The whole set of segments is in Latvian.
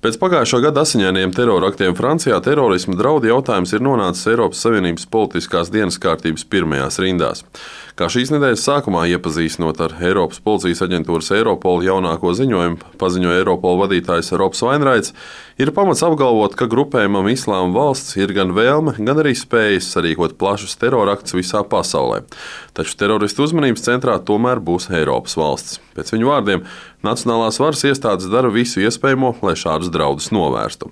Pēc pagājušā gada asiņainajiem teroraktiem Francijā terorisma draudu jautājums ir nonācis Eiropas Savienības politiskās dienas kārtības pirmajās rindās. Kā šīs nedēļas sākumā iepazīstinot ar Eiropas policijas aģentūras Europol jaunāko ziņojumu, paziņoja Europol vadītājs Robs Vainraits, ir pamats apgalvot, ka grupējumam Islāma valsts ir gan vēlme, gan arī spējas sarīkot plašus teroraktus visā pasaulē. Taču teroristu uzmanības centrā tomēr būs Eiropas valsts. Pēc viņu vārdiem, nacionālās varas iestādes dara visu iespējamo, lai šādus draudus novērstu.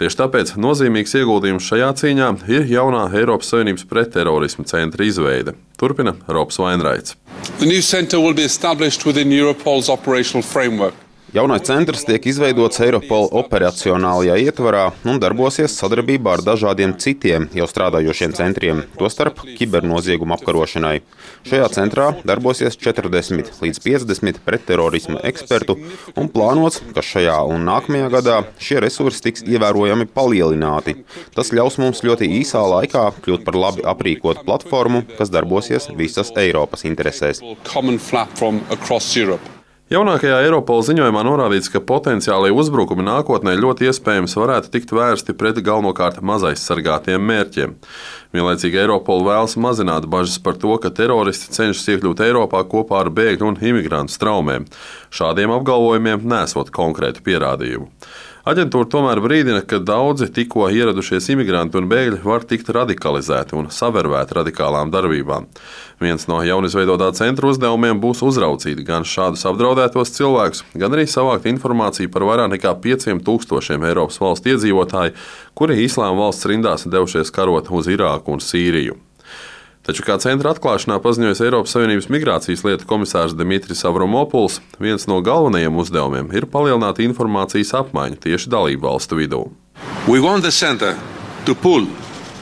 Tieši tāpēc nozīmīgs ieguldījums šajā cīņā ir jaunā Eiropas Savienības pretterorisma centra izveide. Turpina Robs Vainraits. The new centre will be established within Europol's operational framework. Jaunais centrs tiek izveidots Eiropola operacionālajā ietvarā un darbosies sadarbībā ar dažādiem citiem jau strādājošiem centriem, tostarp kibernozieguma apkarošanai. Šajā centrā darbosies 40 līdz 50 pretterorisma ekspertu un plānots, ka šajā un nākamajā gadā šie resursi tiks ievērojami palielināti. Tas ļaus mums ļoti īsā laikā kļūt par labi aprīkotu platformu, kas darbosies visas Eiropas interesēs. Jaunākajā Eiropola ziņojumā norādīts, ka potenciālie uzbrukumi nākotnē ļoti iespējams varētu tikt vērsti pret galvenokārt mazaizsargātiem mērķiem. Vienlaicīgi Eiropola vēlas mazināt bažas par to, ka teroristi cenšas iekļūt Eiropā kopā ar bēgļu un imigrantu straumēm. Šādiem apgalvojumiem nesot konkrētu pierādījumu. Aģentūra tomēr brīdina, ka daudzi tikko ieradušies imigranti un bēgļi var tikt radikalizēti un savervēti radikālām darbībām. Viens no jaunizveidotā centra uzdevumiem būs uzraudzīt gan šādus apdraudētos cilvēkus, gan arī savākt informāciju par vairāk nekā 5000 Eiropas valstu iedzīvotāju, kuri Islāma valsts rindās devušies karot uz Irāku un Sīriju. Taču, kā centra atklāšanā paziņojis Eiropas Savienības migrācijas lietu komisārs Dimitris Avramopuls, viens no galvenajiem uzdevumiem ir palielināt informācijas apmaiņu tieši dalību valstu vidū.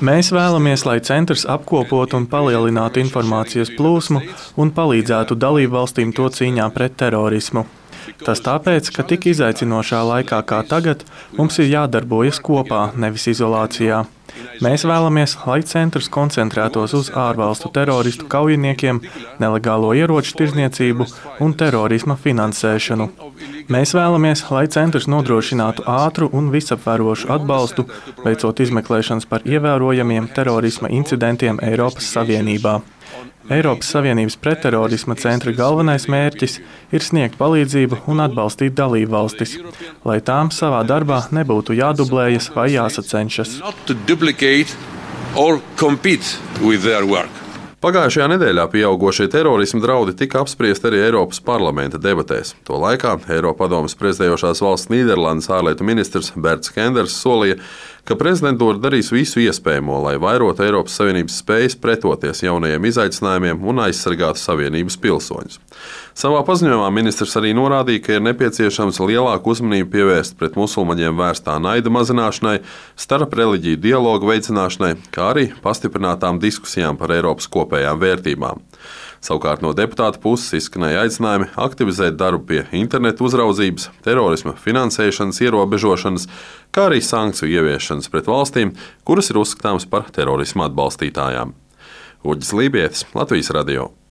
Mēs vēlamies, lai centrs apkopotu un palielinātu informācijas plūsmu un palīdzētu dalību valstīm to cīņā pret terorismu. Tas tāpēc, ka tik izaicinošā laikā kā tagad mums ir jādarbojas kopā, nevis izolācijā. Mēs vēlamies, lai centrs koncentrētos uz ārvalstu teroristu kaujiniekiem, nelegālo ieroču tirdzniecību un terorisma finansēšanu. Mēs vēlamies, lai centrs nodrošinātu ātru un visaptverošu atbalstu, veicot izmeklēšanas par ievērojamiem terorisma incidentiem Eiropas Savienībā. Eiropas Savienības pretterorisma centra galvenais mērķis ir sniegt palīdzību un atbalstīt dalību valstis, lai tām savā darbā nebūtu jādublējas vai jāsacenšas. Pagājušajā nedēļā pieaugošie terorisma draudi tika apspriesti arī Eiropas parlamenta debatēs. To laikā Eiropadomes prezidējošās valsts Nīderlandes ārlietu ministrs Berts Kenders solīja, ka prezidentūra darīs visu iespējamo, lai vairotu Eiropas Savienības spējas pretoties jaunajiem izaicinājumiem un aizsargātu Savienības pilsoņus. Savā paziņojumā ministrs arī norādīja, ka ir nepieciešams lielāku uzmanību pievērst pret musulmaņiem vērstā naida mazināšanai, starp reliģiju dialogu veicināšanai, kā arī pastiprinātām diskusijām par Eiropas kopējām vērtībām. Savukārt no deputāta puses izskanēja aicinājumi aktivizēt darbu pie internetu uzraudzības, terorisma finansēšanas ierobežošanas, kā arī sankciju ieviešanas pret valstīm, kuras ir uzskatāmas par terorisma atbalstītājām. Uģis Lībietis, Latvijas radio.